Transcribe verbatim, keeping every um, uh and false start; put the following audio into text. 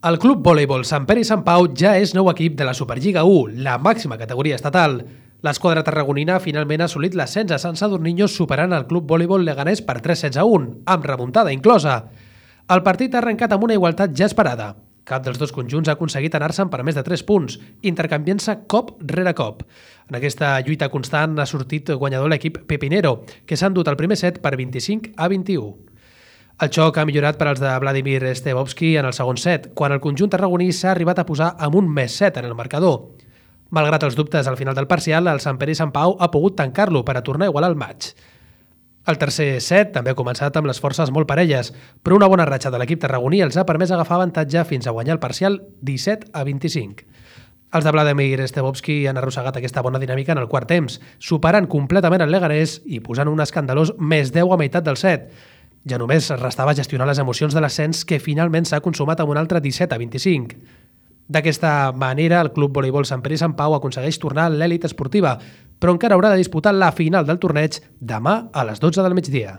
El Club Voleibol Sant Pere i Sant Pau ja és nou equip de la Superliga u, la màxima categoria estatal. L'esquadra tarragonina finalment ha assolit l'ascens a Sant Sadurniño superant el Club Voleibol Leganés per tres sets a un, amb remuntada inclosa. El partit ha arrencat amb una igualtat ja esperada. Cap dels dos conjunts ha aconseguit anar-se'n per més de tres punts, intercanviant-se cop rere cop. En aquesta lluita constant ha sortit guanyador l'equip Pepinero, que s'ha endut el primer set per vint-i-cinc a vint-i-u. El xoc ha millorat per als de Vladimir Stebovski en el segon set, quan el conjunt tarragoní s'ha arribat a posar amb un més set en el marcador. Malgrat els dubtes al final del parcial, el Sant Pere i Sant Pau ha pogut tancar-lo per a tornar a igualar el maig. El tercer set també ha començat amb les forces molt parelles, però una bona ratxa de l'equip tarragoní els ha permès agafar avantatge fins a guanyar el parcial disset a vint-i-cinc. Els de Vladimir Stebovski han arrossegat aquesta bona dinàmica en el quart temps, superant completament el Leganés i posant un escandalós més deu a meitat del set. Ja només restava gestionar les emocions de l'ascens, que finalment s'ha consumat amb un altre disset a vint-i-cinc. D'aquesta manera, el Club Voleibol Sant Pere i Sant Pau aconsegueix tornar a l'èlit esportiva, però encara haurà de disputar la final del torneig demà a les dotze del migdia.